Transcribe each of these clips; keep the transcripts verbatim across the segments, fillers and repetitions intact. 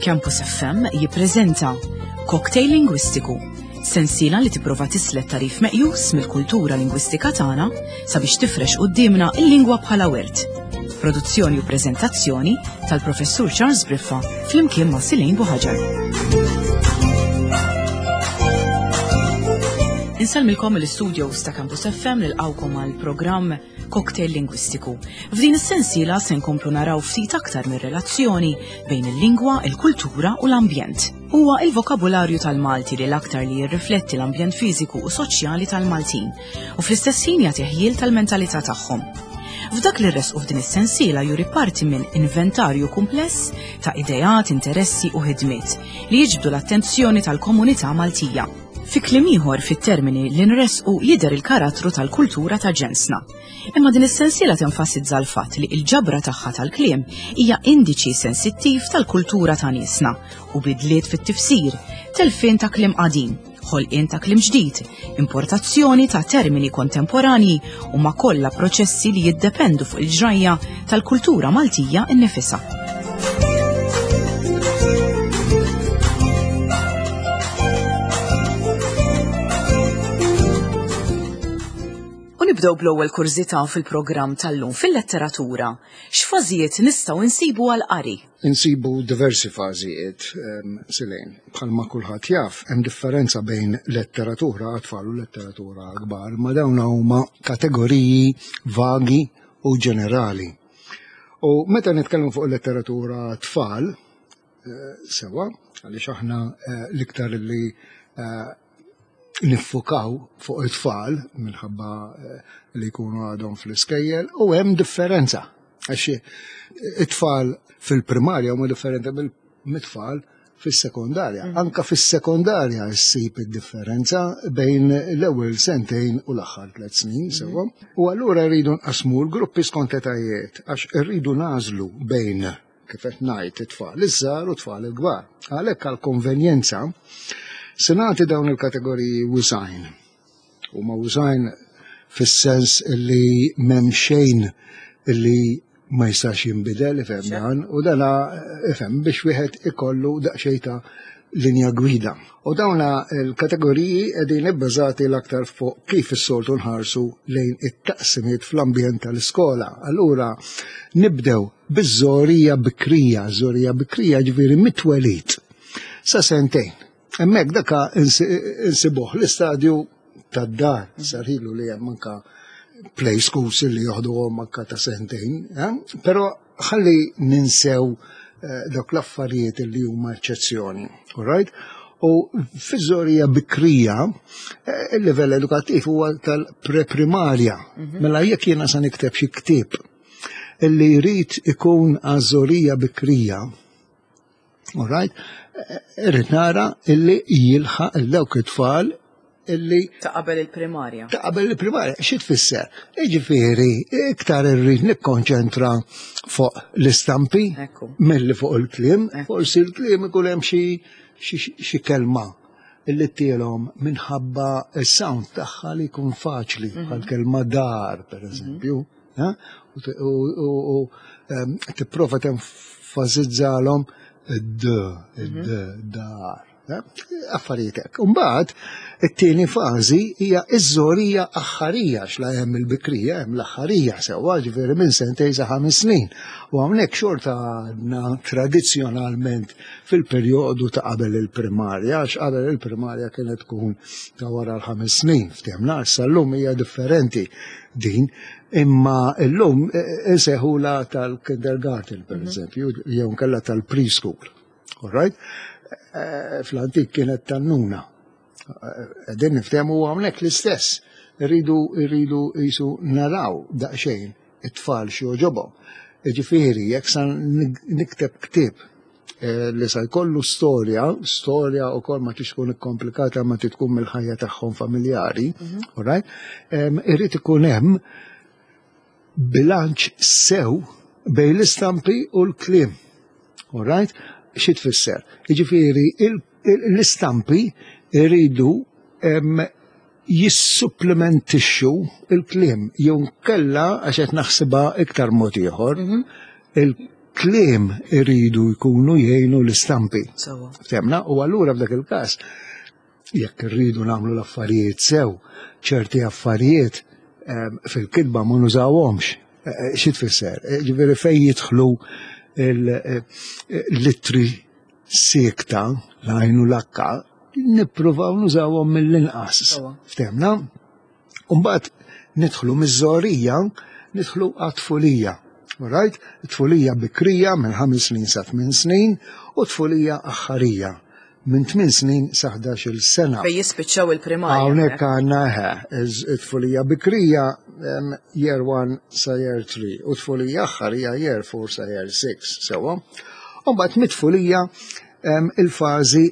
Campus F M jippreżenta Cocktail Lingwistiku, sensiela li tipprova tislet tarif meqjus mill-kultura lingwistika tagħna sabiex tifrex quddiemna l-lingwa bħala wirt. Produzzjoni u preżentazzjoni tal-Professur Charles Briffa flimkien ma' Silejn Buħaġar. Insellmilkom mill-istudios ta' Campus F M nilqgħukom għall-programm Cocktail Lingwistiku. F'din is-sensiela se nkomplu naraw ftit aktar mir-relazzjoni bejn il-lingwa, il-kultura u l-ambjent. Huwa il-vokabularju tal-Malti li l-aktar li jirrifletti l-ambjent fiżiku u soċjali tal-Maltin u fl-istess ħin jagħti ħjiel tal-mentalità tagħhom. F'dak li rresqu f'din is-sensiela juri parti minn inventarju kumpless ta' ideat, interessi u ħidmiet li jiġbdu l-attenzjoni tal-komunità Maltija. Fi kliem ieħor fit-termini li nresqu jidher il-karattru tal-kultura ta' ġensna. Imma din is-sensiela tenfasizza l-fatt li l-ġabra tagħha tal-kliem hija indiċi sensittiv tal-kultura ta' niesna u bidliet fit-tifsir, telfien ta' kliem qadim, ħolqien ta' kliem ġdid, importazzjoni ta' termini kontemporanji u ma' kollha proċessi li jiddependu fuq il-ġrajja tal-kultura Maltija nnifisha. U nibdew bl-ewwel kurżità fil-programm tal-lum fil-letteratura. X'fażijiet nistgħu nsibu għall-qari? Insibu diversi fażijiet, ehm, Silejn. Bħalma kulħadd jaf, hemm differenza bejn letteratura għat-tfal u letteratura kbar, ma dawn huma kategoriji vagi u ġenerali. U meta nitkellmu fuq letteratura tfal, eh, sewa, għaliex aħna, eh, l-iktar li, eh, niffukaw fuq it-tfal minħabba, eh, li jkunu għadhom fl-iskejjel, u hemm differenza. Għax it-tfal fil-primarja huma differenti mill-tfal fis-sekondarja. Mm. Anka fis-sekondarja ssib id-differenza bejn l-ewwel sentejn u l-aħħar tliet snin, Mm. sewwa. U allura rridu nqasmu l-gruppi skont etajiet għax irridu nagħżlu bejn kif qed ngħid it-tfal iż-żgħar u t-tfal il-kbar. Għalhekk għall-konvenjenza se nagħti dawn il-kategoriji wisajn. Huma wisajn fis-sens li m'hemm xejn li ma jistax jinbidel, ifhem Xejn. dan, u dana, ifhem, biex wieħed ikollu daqsxejn ta' linja gwida. U dawna l-kategoriji qegħdin ibbażati l-aktar fuq kif is-soltu nħarsu lejn it-taqsimiet fl-ambjent tal-iskola. Allura nibdew biż-żorija bikrija, żorija bikrija ġifieri mit-twelid sa sentejn. Hemmhekk daka insi-, insibuh l-istadju tad-dar, sarħilu li hemm anka play schools li joħduhom anka ta' sentejn, eh? Però ħalli ninsew, eh, dawk l-affarijiet li huma eċċezzjoni, all right? U fiż-żorija bikrija, eh, il-livell edukattiv huwa tal-preprimarja. Mhm. Mela jekk jiena sa nikteb xi ktieb illi jrid ikun għaż-żorija bikrija, all right? Eh, irrid nara illi jilħaq il dawk it-tfal illi Ta' qabel il-primarja. Ta' qabel il-primarja, xi tfisser? Jiġifieri, iktar irrid nikkonċentra fuq l-istampi Ekku. milli fuq il-kliem. Ekku. Forsi l-kliem ikun hemm xi, xi, xi kelma illi tielhom minħabba s-sound tagħha li jkun faċli, Mhm. bħal kelma dar, per eżempju, Mhm. eh? U t-, u, u, u, ehm, tipprova tenfasizzalhom id-d, id-d, Mhm. dar. Eh? Affarijiet hekk. Imbagħad it-tieni fażi hija iż-żorija aħħarija, għax la hemm il-bikrija, hemm l-aħħarija sewwa, ġifieri minn sentejn sa ħames snin. U hawnhekk xorta għadna tradizzjonalment fil-perjodu ta' qabel il-primarja, għax qabel il-primarja kienet tkun ta' wara l-ħames snin, ftehmna, issa llum hija differenti din, imma llum, eh, eh, insejħula tal-kindergarten, per Mhm. eżempju, jew nkella tal-preschool. All right? Eh, fl-antik kienet tannuna. Eh, qegħdin niftehmu hawnhekk l-istess. Irridu, irridu jisu naraw daqsxejn it-tfal xi jogħġobhom. Jiġifieri, jekk sa nik-, nikteb ktieb, eh, li sa jkollu storja, storja wkoll ma tix tkun ikkomplikata ma trid tkun mill-ħajja tagħhom familjari, Mhm. all right? Em, irrid ikun hemm bilanċ sew bejn l-istampi u l-kliem. All right? Xi tfisser? Jiġifieri, il-, il-, l-istampi iridu, em, jissupplementixxu il-kliem, jew nkella għax qed naħsibha iktar mod ieħor, Mhm. il-, Il-kliem iridu jkunu jgħinu l-istampi. Sewwa. Ftemna, u allura f'dak il-każ, jekk irridu nagħmlu l-affarijiet sew, ċerti affarijiet em, fil-kitba ma nużawhomx. Eh, eh, Xi tfisser? Eh, Ġifieri fejn jidħlu l-ittri siekta, l-għajn u l-akka, nippruvaw nużawhom mill-inqas. Sewwa. Ftemna? Umbagħad nidħlu miż-żgħorija, nidħlu għat-tfulija. Alright? Tfulija bikrija minn ħames snin sa tmien snin u tfulija aħħarija minn tmien snin sa ħdax-il sena. Fejn jispiċċaw il-primarja. Hawnhekk għandna eħe, it-tfulija bikrija em, year one sa year three u tfulija aħħarija year four sa year six, sewwa. Umbagħad mit-tfulija em, il-fażi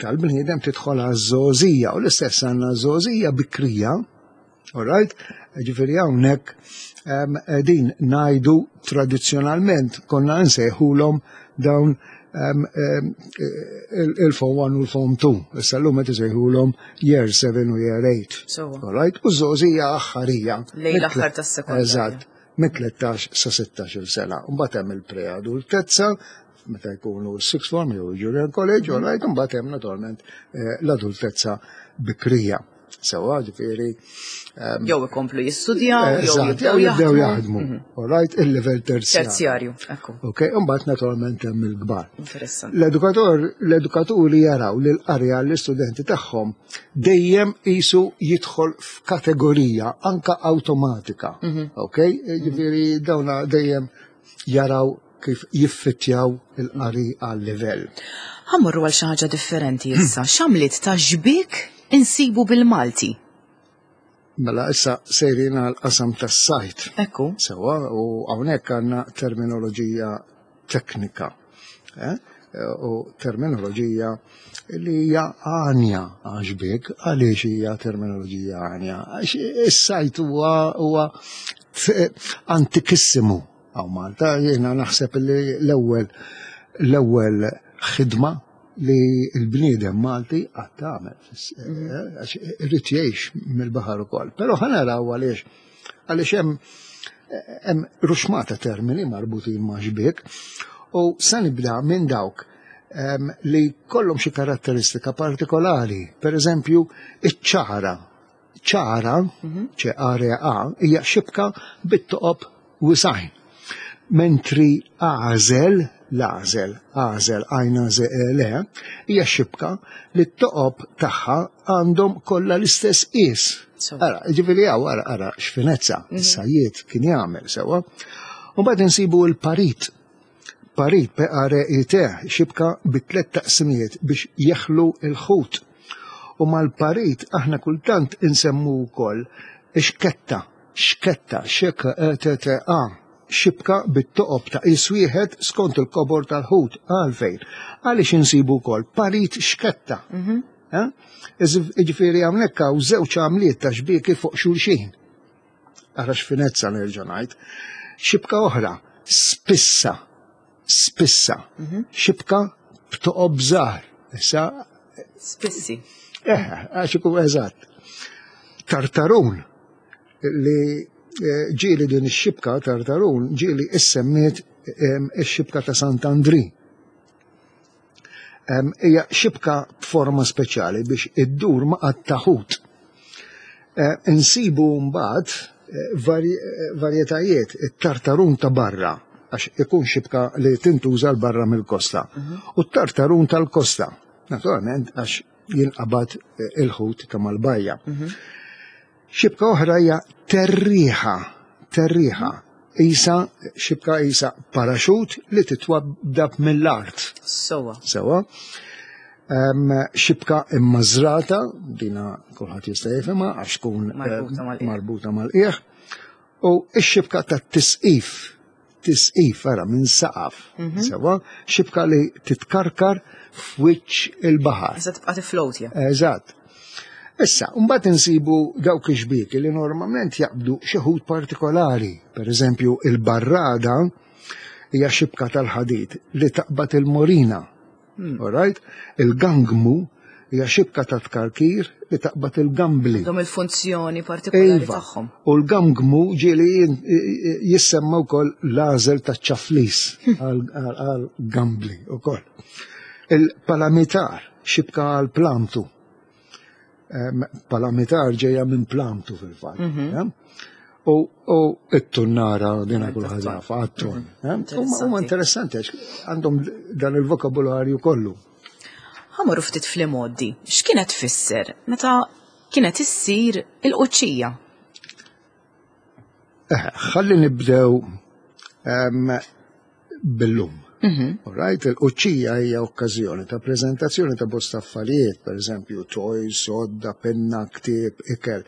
tal-bniedem tidħol għaż-żgħożija u l-istess għandna żgħożija bikrija. Alright? Ġifieri hawnhekk em, din ngħidu tradizzjonalment konna nsejħulhom dawn em, em, il- il-form one u l-form two. Issa llum qed isejħulhom year seven u year eight. Sewwa. Alright? U żgħożija aħħarija. Lejn l-aħħar tas-sekondarja. Eżatt. Minn tlettax sa sittax-il sena. Mbagħad hemm il-preadultezza, meta jkunu sixth form jew junior college, all right, mbagħad hemm naturalment eh, l-adultezza bikrija. Sewwa, ġifieri Jew ikomplu jistudjaw, jew eżatt, jew jibdew jibdew jaħdmu. jaħdmu. All right, il-level terzjarju. Terzjarju, ekku. Ok, mbagħad naturalment hemm il-kbar. Interessanti. L-edukator, l-edukaturi jaraw li l-qari għall-istudenti tagħhom dejjem isu jidħol f'kategorija anka awtomatika. Ok? Ġifieri dawna dejjem jaraw kif jiffittjaw il-qari għal-livell. Ħa mmorru għal xi ħaġa differenti issa. X'għamliet ta' xbiek insibu bil-Malti? Mela issa sejrin għal qasam tas-sajt. Ekku. Sewwa, u hawnhekk għandna terminoloġija teknika. Eh? U terminoloġija li hija għanja għax-xbiek, għaliex hija terminoloġija għanja? Għax is-sajt huwa huwa antikissimu hawn Malta, jiena naħseb li l-ewwel l-ewwel ħidma li l-bniedem Malti qatt għamel, għax irid jgħix mill-baħar ukoll. Però ħa naraw għaliex għaliex hemm hemm ruxmata termini marbutin ma' xbiek u sa nibda minn dawk em, li kollhom xi karatteristika partikolari. Per eżempju, iċ-ċara. ċara, ċe A, hija xibka bit-toqob wisgħin. Mentri għażel, l-għażel, għażel, għajna le, hija xibka li t-toqob tagħha għandhom kollha l-istess qis. So. Ara, ġifieri hawn, ara, ara, x'finezza, is-sajjied kien jagħmel sewwa. U mbagħad insibu l-parit. Parit, P A R I T, xibka bi tliet taqsimijiet biex jeħlu il-ħut. U mal-parit aħna kultant insemmu wkoll xketta, xketta, xek E T T A, xibka bit-toqob ta' qis wieħed skont il-kobor tal-ħut. Għalfejn? Għaliex insibu wkoll parit xketta. Eh? Ġifieri hawnhekk hawn żewġ għamliet ta' xbieki fuq xulxin. Ara x'finezza nerġa' ngħid. Xibka oħra, spissa, spissa, xibka b'toqob żgħar. Issa, Spissi. eh, għax ikun eżatt. Tartarun li eh, ġieli din ix-xibka tartarun ġieli issemmiet em, ix-xibka ta' Sant'Andri. Em, Hija xibka b'forma speċjali biex iddur ma' taħut. Eh, Insibu mbagħad eh, vari- eh, varjetajiet it-tartarun ta' barra għax ikun xibka li tintuża l barra mill-kosta. U t-tartarun tal-kosta, naturalment għax jinqabad eh, il-ħut ta' mal-bajja. Xibka oħra hija terriħa, terriħa. Isa, xibka isa paraxut li titwaddab mill-art. Sewwa. Sewwa. Um, xibka immażrata, dina kulħadd jista' jifhimha għax tkun Marbuta eh, mal-qiegħ. marbuta mal-qiegħ. U x-xibka ta' tisqif, tisqif ara minn saqaf. Sewwa, xibka li titkarkar f'wiċċ il-baħar. Issa tibqa' tiflowtja. Eżatt. Issa, mbagħad insibu dawk ix-xbieki li normalment jaqbdu xi ħut partikolari. Per eżempju, il-barrada hija xibka tal-ħadid li taqbad il-morina. All right? Il-gangmu Hija xibka ta' tkarkir li taqbad il-gambli. Għandhom il-funzjoni partikolari Iva. tagħhom. U l-gamgmu ġieli jissemma wkoll l-għażel ta' ċaflis għal-gambli wkoll. Il-palamitar, xibka għal-plamtu. Em, Palamitar ġejja minn plamtu fil-fatt. eh? U u it-tunnara dina kulħadd jafa, għat-tun. eh? Huma huma interessanti għax għandhom dan il-vokabularju kollu. Ħa mmorru ftit fl-imgħoddi. X'kienet tfisser meta kienet issir il-quċċija? Eh, Ħalli nibdew em, bil-lum. All right, il-quċċija hija okkażjoni ta' preżentazzjoni ta' bosta affarijiet, per eżempju, toys, sodda, penna, ktieb, ikel.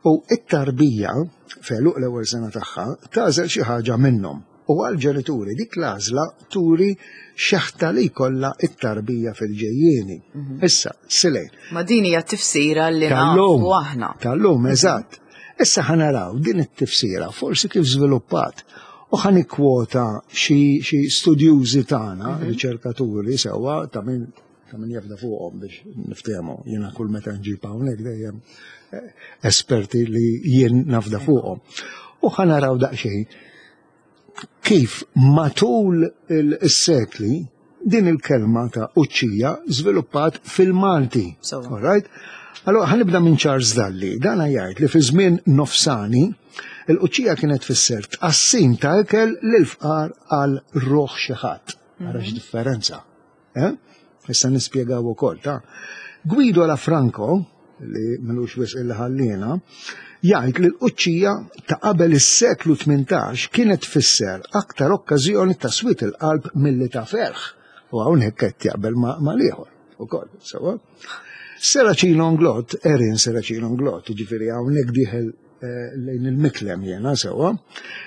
U it-tarbija, f'għeluq l-ewwel sena tagħha, tagħżel xi ħaġa minnhom. U għal-ġenituri dik l-għażla turi xeħta li jkollha it-tarbija fil-ġejjieni. Issa, silejn. Ma din hija tifsira li Tal-lum. nafu aħna. Tal-lum, eżatt. Issa ħa naraw din it-tifsira forsi kif żviluppat. U ħa nikkwota xi xi studjużi tagħna, riċerkaturi sewwa ta' min ta' min jafda fuqhom biex niftehmu. Jiena kull meta nġib hawnhekk dejjem eh, esperti li jien nafda fuqhom. U ħa naraw daqsxejn kif matul il-sekli din il-kelma ta' uċċija żviluppat fil-Malti. Sewwa. All right? Allora, ħa nibda minn Charles Dalli. Dan jgħid li fi żmien nofsani il-quċċija kienet tfisser tqassim ta' ikel lil fqar għal ruħ xi ħadd. Ara x'differenza. Eh? Issa nispjegaw ukoll ta' Guido Lafranco, li m'ilux wisq illi ħallina, jgħid li l-quċċija ta' qabel is-seklu tmintax kienet tfisser aktar okkażjoni ta' swied il-qalb milli ta' ferħ. U hawnhekk qed jaqbel ma' mal-ieħor ukoll, sewwa. Serracino Inglott, Erin Serracino Inglott, ġifieri hawnhekk dieħel eh, lejn il-Miklem jena sewwa,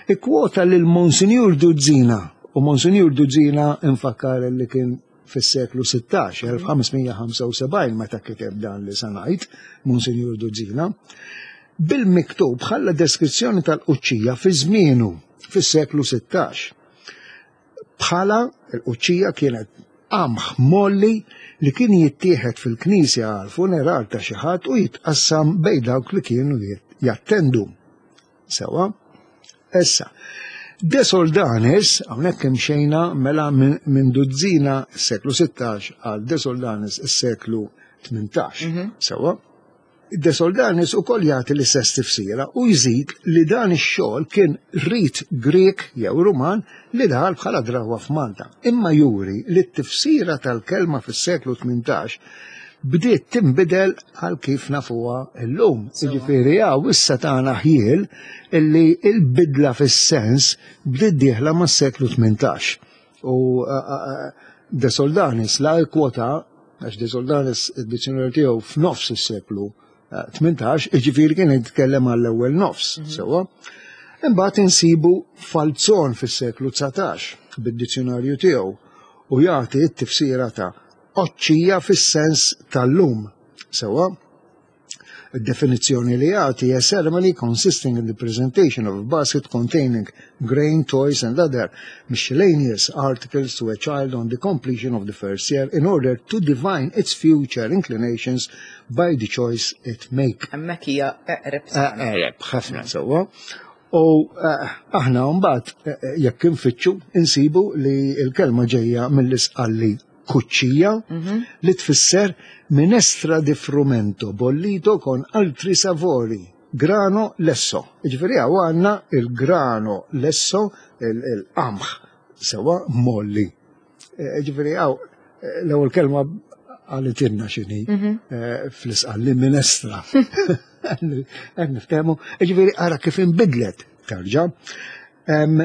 ikkwota lil Monsignor Duzzina, u Monsignor Duzzina infakkar li kien fis-seklu sittax, elf ħames mija ħamsa u sebgħin meta kiteb dan li se ngħid, Monsignor Duzzina, bil-miktub ħalla deskrizzjoni tal-quċċija fi żmienu fis-seklu sittax. Bħala il-quċċija kienet qamħ molli li kien jittieħed fil-knisja għal funeral ta' xi ħadd u jitqassam bejn dawk li kienu jattendu. Sewwa? Issa, De Soldanis, hawnhekk imxejna mela minn min Duzzina s-seklu sittax għal De Soldanis s-seklu tmintax. Sewwa? De Soldanis ukoll jagħti l-istess tifsira u jżid li dan ix-xogħol kien rit Grek jew Ruman li daħal bħala drawwa f'Malta. Imma juri li t-tifsira tal-kelma fis-seklu tmintax bdiet tinbidel għal kif nafuha llum. Jiġifieri hawn issa tagħna ħjiel illi il-bidla fis-sens bdiet dieħla mas-seklu tmintax. U De Soldanis la kwota, għax De Soldanis id-dizzjonarju tiegħu f'nofs is-seklu tmintax, iġifieri kien jitkellem għall-ewwel nofs, sewwa. Imbagħad insibu Falzon fis-seklu dsatax bid-dizzjonarju tiegħu u jagħti t-tifsira ta' oċċija fis-sens tal-lum. Sewwa, id-definizzjoni li jagħti a ceremony consisting in the presentation of a basket containing grain, toys and other miscellaneous articles to a child on the completion of the first year in order to divine its future inclinations by the choice it make. Hemmhekk hija eqreb. Eqreb, ħafna sewwa. U eh, aħna mbagħad eh, jekk infittxu insibu li l-kelma ġejja mill-Isqalli kuċċija li tfisser minestra di frumento bollito con altri sapori, grano lesso. Ġifieri hawn għandna il-grano lesso, il-qamħ sewwa molli. Eh, Ġifieri hawn l-ewwel kelma għalitinna x'inhi eh, fl-Isqalli minestra. Qed niftehmu, ġifieri ara kif inbidlet tarġa. Em,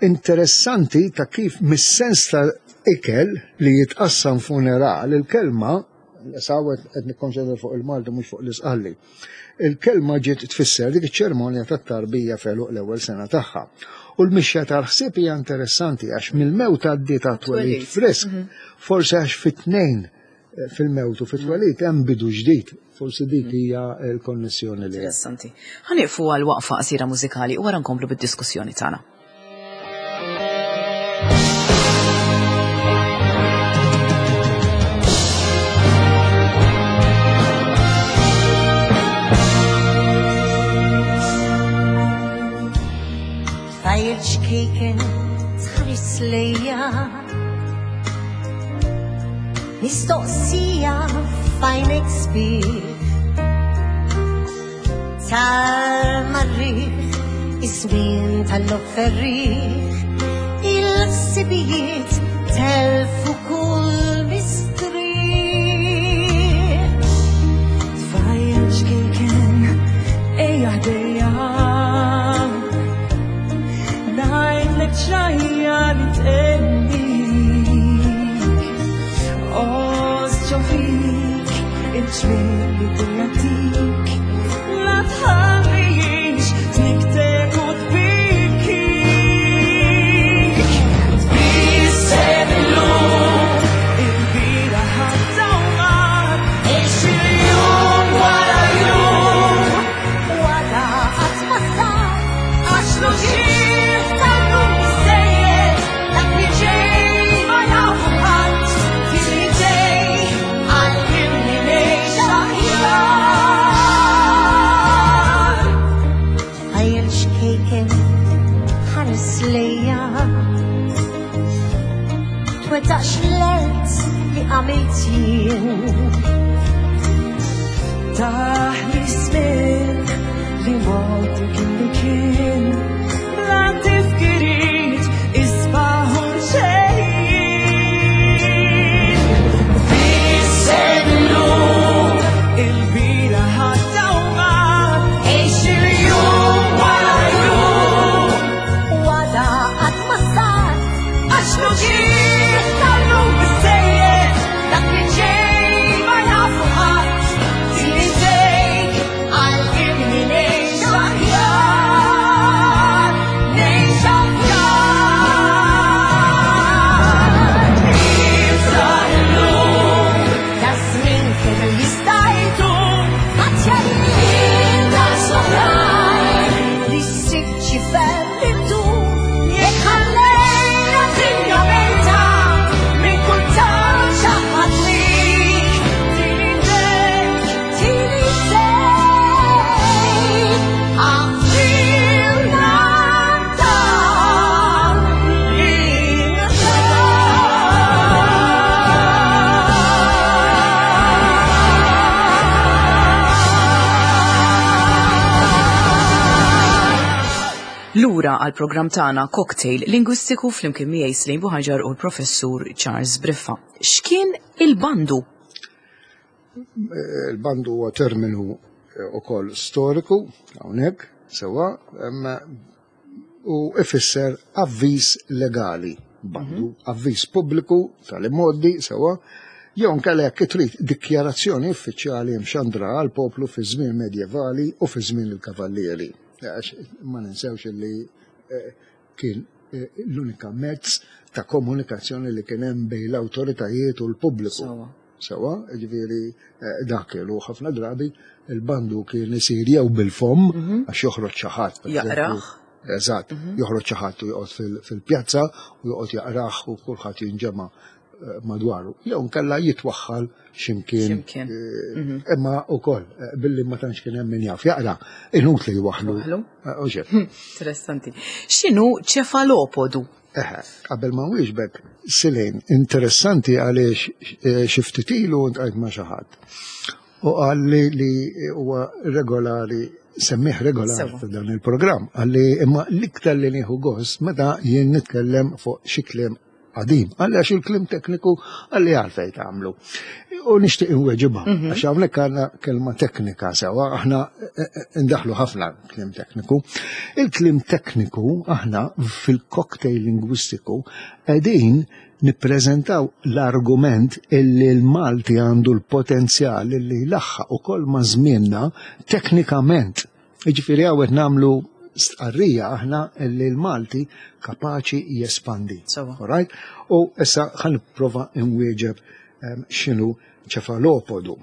interessanti ta' kif mis-sens ta' ikel li jitqassam funeral, il-kelma, sawet qed nikkonċentra fuq il-Malti mhux fuq l-Isqalli. Il-kelma ġiet tfisser dik iċ-ċerimonja tat-tarbija f'għeluq l-ewwel sena tagħha. U l-mixja tal-ħsieb hija interessanti għax mill-mewt għaddiet għat-twelid frisk, forsi għax fit-tnejn eh, fil-mewt u fit-twelid hemm bidu ġdid. Forsi dik hija l-konnessjoni li hemm. Interessanti. Ħa nieqfu għal waqfa qasira mużikali u wara nkomplu bid-diskussjoni tagħna. Xkejken tħares lejja, mistoqsija f'għajnejk sbieħ, tal-marriħ, iż-żmien tal-offerriħ, il-ħsibijiet telfu kull mistrieħ. Tfajjel xkejken, ejja ħdejja, ngħidlek ġrajja li tgħennik, għożż ġo fik il-ġmiel li dejja tik, la tħallix tniktek u tbikik. Tbissem illum, il-bieraħ għadda u mar, għix il-jum wara jum, Wara qatt ma sar, għax l-uġigħ tal-lum biżżejjed, dak li ġej ma jafu ħadd, tini ġej għallimni ngħix aħjar. Tfajjel xkejken ħares lejja, twettaqx l-għelt li għamilt jien, Taħli żmien li modi kien li kien, bla tifkiriet isbaħ u ġejjin. Tbissem illum, il-bieraħ għadda u mar, għix il-jum wara jum, wara qatt ma sar, għax l-uġigħ tal-lum biżżejjed, dak li ġej ma jafu ħadd, tini ġej għallimni ngħix aħjar, ngħix aħjar. Ifraħ illum, ta' żmien kemm jista' jdum, ħadd jgħin daqs oħrajn li ssib ċifer li ddum, jekk ħallejna dinja mejta minn kull tarf ħadd lik, tini jdejk, tini jdejk, għaffilna dan il-nar. Lura għal programm tagħna Cocktail Lingwistiku flimkien miegħi Slim Buħaġar u l-Professur Charles Briffa. X'kien il-bandu? Il-bandu huwa terminu ukoll storiku hawnhekk sewwa u ifisser avviż legali. Bandu, avviż pubbliku tal-immoddi sewwa, jew inkella jekk trid dikjarazzjoni uffiċjali mxandra għal poplu fi żmien medjevali u fi żmien il-kavallieri. Għax ma ninsewx li eh, kien eh, l-unika mezz ta' komunikazzjoni li kien hemm bejn l-awtoritajiet u l-pubbliku. Sewwa. Sewwa, ġifieri eh, dak kienu ħafna drabi il-bandu kien isir jew bil-fom għax joħroġ xi ħadd. per Jaqrah. eżempju. Eżatt, joħroġ xi ħadd u joqgħod fil- fil-pjazza u joqgħod jaqrah u kulħadd jinġema' eh, madwaru. Jew nkella jitwaħħal x'imkien. X'imkien. eh, Imma ukoll eh, billi ma tantx kien hemm min jaf jaqra, inutli jwaħħlu. Waħħlu. Eh, u xejn. Interessanti. X'inhu ċefalopodu? Eħe, qabel ma nwieġbek, Silejn, interessanti għaliex eh, xi ftit ilu ltqajt ma' xi ħadd. U qalli li huwa regolari, semmih regolari Sewwa. f'dan il-programm, qalli imma l-iktar li nieħu gost meta jien nitkellem fuq xi kliem qadim. Qalli għax il-kliem tekniku qalli għalfejn tagħmlu. U nixtieq inweġibha, għax hawnhekk għandna kelma teknika sewwa, aħna eh, eh, ndaħlu ħafna kliem tekniku. Il-kliem tekniku aħna fil-cocktail lingwistiku qegħdin nippreżentaw l-argument illi l-Malti għandu l-potenzjal illi jlaħħaq ukoll ma' żmienna teknikament. Jiġifieri hawn qed nagħmlu stqarrija aħna illi l-Malti kapaċi jespandi. Sewwa. Alright? U issa ħa nipprova nwieġeb em, x'inhu ċefalopodu.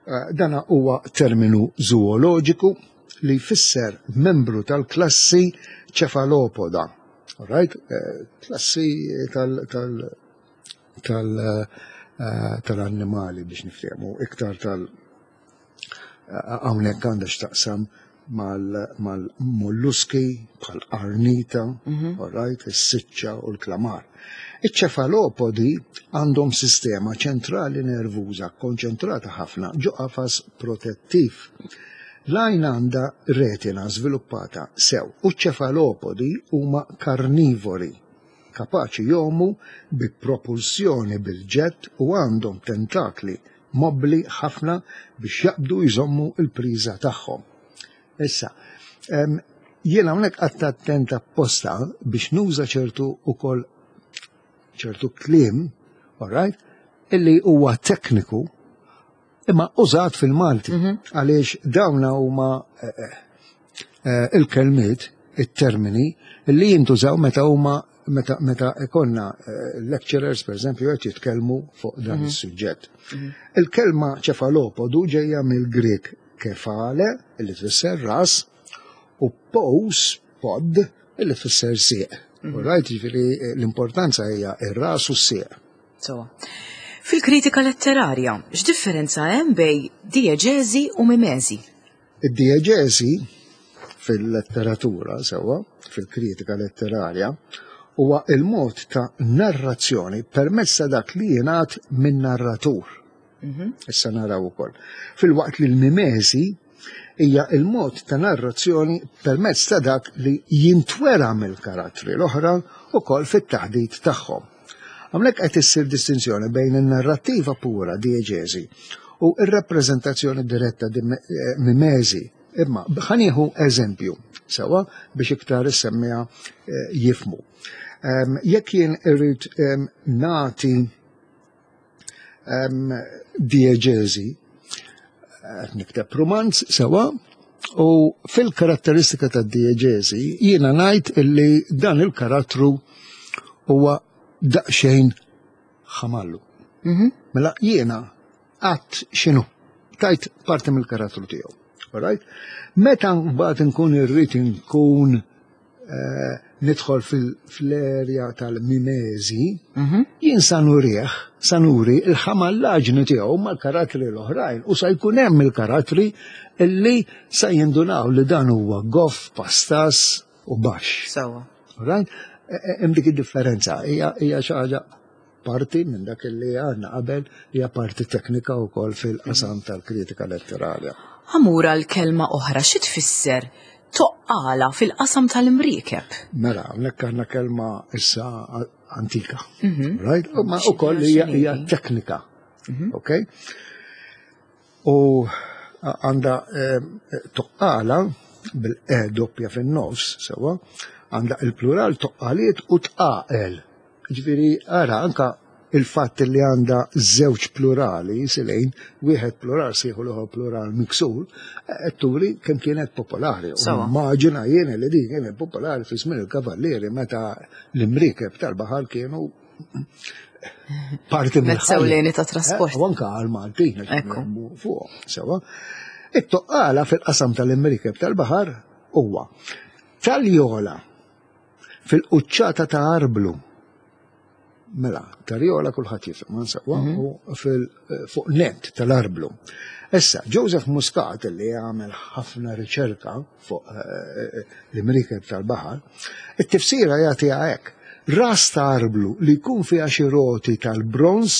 Eh, Dana huwa terminu zooloġiku li jfisser membru tal-klassi ċefalopoda. Alright? Eh, Klassi tal, tal, tal, eh, tal-annimali biex niftehmu, iktar tal hawnhekk għandha x'taqsam mal-molluski bħal arnita, all right, is-siċċa u l-klamar. Iċ-ċefalopodi għandhom sistema ċentrali nervuża konċentrata ħafna ġo qafas protettiv. L-għajn għandha retina żviluppata sew u ċ-ċefalopodi huma karnivori, kapaċi jgħumu bi propulsjoni bil-ġett u għandhom tentakli mobbli ħafna biex jaqbdu jżommu il-priża tagħhom. Issa, em, jiena hawnhekk qgħadt attent apposta biex nuża ċertu ukoll ċertu kliem, all right, illi huwa tekniku imma użat fil-Malti, għaliex dawna huma eh, eh, eh, il-kelmiet, it-termini li jintużaw meta huma meta meta ikonna eh, lecturers, per eżempju, qed jitkellmu fuq dan is-suġġett. Il-kelma ċefalopodu ġejja mill-Grek kefale, illi tfisser ras, u pous, pod, illi tfisser sieq. All right, ġifieri eh, l-importanza hija ir-ras u s-sieq. So. Fil-kritika letterarja, x'differenza hemm bejn dieġeżi u mimeżi? Id-dieġeżi fil-letteratura, sewwa, fil-kritika letterarja, huwa il-mod ta' narrazzjoni permezz ta' dak li jingħad minn narratur. Issa naraw ukoll. Filwaqt li l-mimeżi hija il-mod ta' narrazzjoni permezz ta' dak li jintwera mill-karattri l-oħra ukoll fit-taħdit tagħhom. Hawnhekk qed issir distinzjoni bejn in-narrattiva pura, dieġeżi, u ir-rappreżentazzjoni diretta, di eh, mimeżi. Imma ħa nieħu eżempju sewwa biex iktar is-semmiegħa eh, jifhmu. Em, Jekk jien irrid em, nagħti em, dieġeżi, qed nikteb romanz sewwa, u fil-karatteristika ta' dieġeżi jiena ngħid illi dan il-karattru huwa daqsxejn ħamallu. Mela jiena għedt x'inhu, tajt parti mill-karattru tiegħu. Alright? Meta mbagħad nkun irrid nkun eh, nidħol fil-erja tal-mimezi, jien sa nurih, sa nuri il-ħamallaġni tiegħu mal-karattri l-oħrajn u sa jkun hemm il-karattri illi sa jindunaw li dan huwa goff, pastas u baxx. Sewwa. Alright? E- e- Hemm dik id-differenza, hija hija xi ħaġa parti minn dak li għandna qabel, hija parti teknika wkoll fil-qasam tal-kritika letterarja. Ħa mmur għal kelma oħra, xi tfisser toqqala fil-qasam tal-imriekeb? Mela, hawnhekk għandna kelma issa antika. Right? U ma ukoll hija hija teknika. Ok? U għandha eh, toqqala bil-e doppja fin-nofs, sewwa, għandha il-plural toqqaliet u tqaqel. Ġifieri, ara, anka il-fatt li għandha żewġ plurali, silejn, wieħed plural sħiħ u l-ieħor plural miksur, qed turi kemm kienet popolari. U Sewwa. Immaġina jien li din kienet popolari fi żmien il-kavallieri meta l-imriekeb tal-baħar kienu parti Mezz mill-ħajja. ewlieni ta' trasport. Eh, U anka għal-Maltin, għax Ekku. kienu fuq, sewwa. It-toqqala fil-qasam tal-imriekeb tal-baħar huwa taljola fil-quċċata ta' arblu. Mela, tarjola kulħadd jifhem, ma sewwa, u fil fuq net tal-arblu. Issa, Joseph Muscat, li għamel ħafna riċerka fuq eh, l-imriekeb tal-baħar, it-tifsira jagħtiha hekk. Ras ta' arblu li jkun fiha xi roti tal-bronz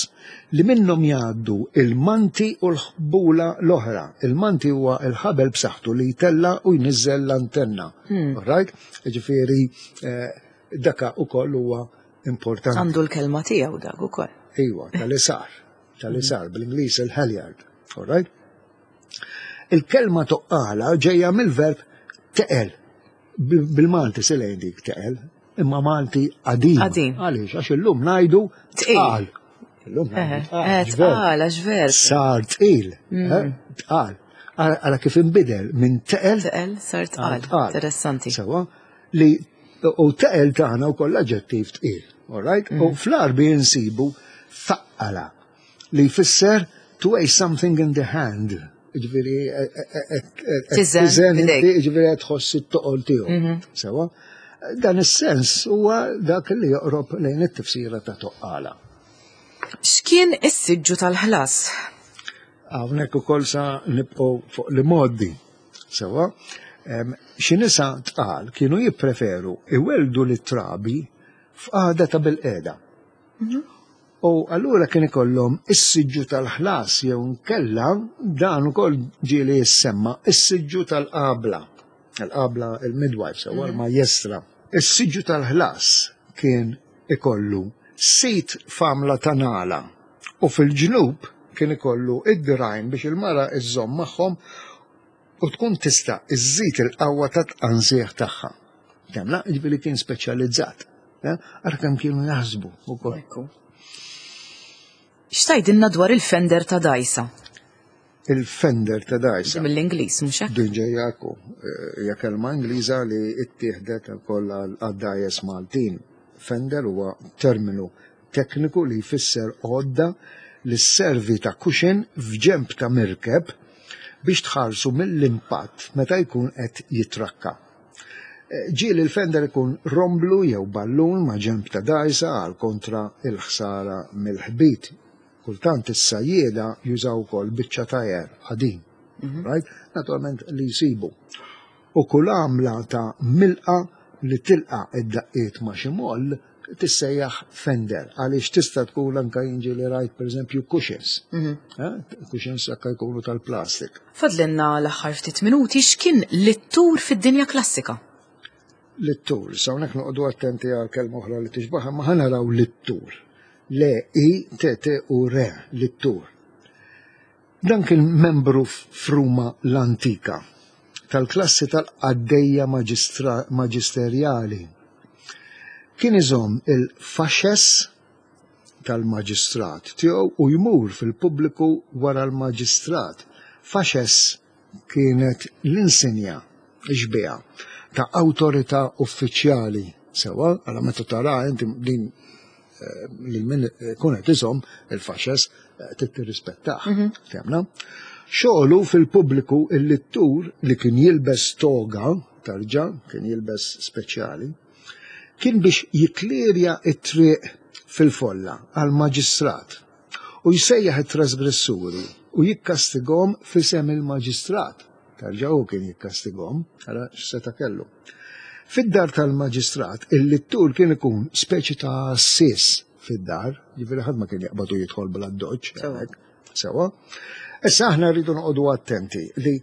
li minnhom jgħaddu il-manti u l-ħbula l-oħra. Il-manti huwa il-ħabel b'saħħtu li jtella u jniżżel l-antenna. All right? Ġifieri eh, daka ukoll huwa importanti. Għandu l-kelma tiegħu dak ukoll. Iwa, tal-isar, tal-isar, bl-Ingliż il-halyard, all right? Il-kelma toqqala ġejja mill-verb teqel. Bil- Bil-Malti silejn dik teqel, imma Malti qadim. Qadim. Għaliex, għax illum ngħidu Tqil. tqal. Illum ngħidu tqal, Eh, għax verb. tqal, għax verb. Sar tqil, eh, tqal. Ara ara kif inbidel minn teqel Teqel, sar tqal. tqal. Interessanti. Sewwa, li u teqel tagħna wkoll aġġettiv tqil, all right? U fl-Għarbi insibu faqqala li jfisser to weigh something in the hand. Ġifieri, Tiżen tiżen b'idejk. inti, ġifieri qed tħoss it-toqol tiegħu. Sewwa, dan is-sens huwa dak li joqrob lejn it-tifsira ta' toqqala. X'kien is-siġġu tal-ħlas? Hawnhekk ukoll sa nibqgħu fuq l-imgħoddi. Sewwa, Xi nisa tqal kienu jippreferu iweldu lit-trabi f'qagħda ta' bilqiegħda. U allura kien ikollhom is-siġġu tal-ħlas jew nkella dan ukoll ġieli jissemma is-siġġu tal-qabla. Il-qabla, il-midwife, sewwa, l-majestra. Is-siġġu tal-ħlas kien ikollu sit f'għamla ta' nala u fil-ġnub kien ikollu id-dirgħajn biex il-mara iżżomm magħhom u tkun tista' iżżid il-qawwa ta' tqanżieħ tagħha. Temla, ġifieri kien speċjalizzat. Ara kemm kienu jaħsbu ukoll. Ekku. X'tgħidilna dwar il-fender ta' dgħajsa? Il-fender ta' dgħajsa. Mill-Ingliż, mhux hekk? Din ġejja ekku, hija kelma Ingliża li ittieħdet ukoll għad-dgħajjes Maltin. Fender huwa terminu tekniku li jfisser għodda li sservi ta' cushion f'ġemp ta' mirkeb biex tħarsu mill-impatt meta jkun qed jitrakka. Ġieli il-fender ikun romblu jew ballun ma' ġemp ta' dgħajsa għal kontra il-ħsara mill-ħbit. Kultant is-sajjieda jużaw ukoll biċċa tajer qadim. Right? Naturalment li jsibu. U kull għamla ta' milqa li tilqa id-daqqiet ma' xi moll tissejjaħ fender, għaliex tista' tkun anka jinġi li rajt, pereżempju, cushions. Eh? Cushions anka jkunu tal-plastik. Fadlinna l-aħħar ftit minuti. X'kien littur fid-dinja klassika? Littur, sa hawnhekk noqogħdu attenti għal kelma oħra li tixbaħha, ma ħa naraw littur. Le I T T U R, littur. Dan kien membru f'Ruma l-antika tal-klassi tal-qaddejja maġistra- maġisterjali. Kien iżomm il-fasces tal-maġistrat tiegħu u jmur fil-pubbliku wara l-maġistrat. Fasces kienet l-insinja, xbieha ta' awtorità uffiċjali. Sewwa, għala meta tara inti din eh, lil min kun qed iżomm il-fasces eh, trid tirrispettah. Fehmna? Xogħlu fil-pubbliku, il-littur li kien jilbes toga, tarġa, kien jilbes speċjali, kien biex jiklirja it-triq fil-folla għal-maġistrat u jsejjaħ it-trasgressuri u jikkastigom f'isem il-maġistrat. Tarġa u kien jikkastigom, ara x'seta kellu. Fid-dar tal-maġistrat, il-littur kien ikun speċi ta' għassies fid-dar, ġifieri ħadd ma kien jaqbadu jidħol bla doċ. Sewwa. Sewwa. Issa aħna rridu noqogħdu attenti li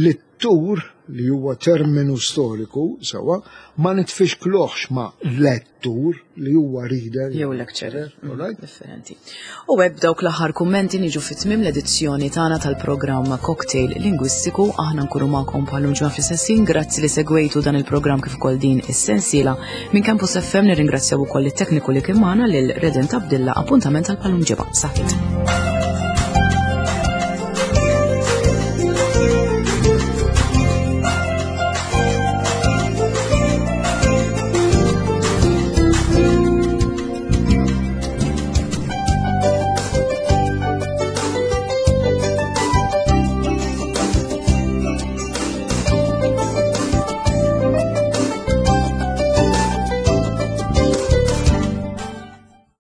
littur, li huwa terminu storiku, sewwa, ma nitfixkluhx ma' lettur li huwa reader. Jew lecturer. All right? Differenti. U hekk dawk l-aħħar kummenti niġu fit-tmiem l-edizzjoni tagħna tal-programm Cocktail Lingwistiku. Aħna nkunu magħkom bħal ġimgħa fl-istess. Grazzi li segwejtu dan il-programm kif ukoll din is-sensiela. Minn Campus F M nirringrazzjaw ukoll it-tekniku li kien magħna, lil Redent Abdilla. Appuntament għal bħal ġimgħa. Saħħit.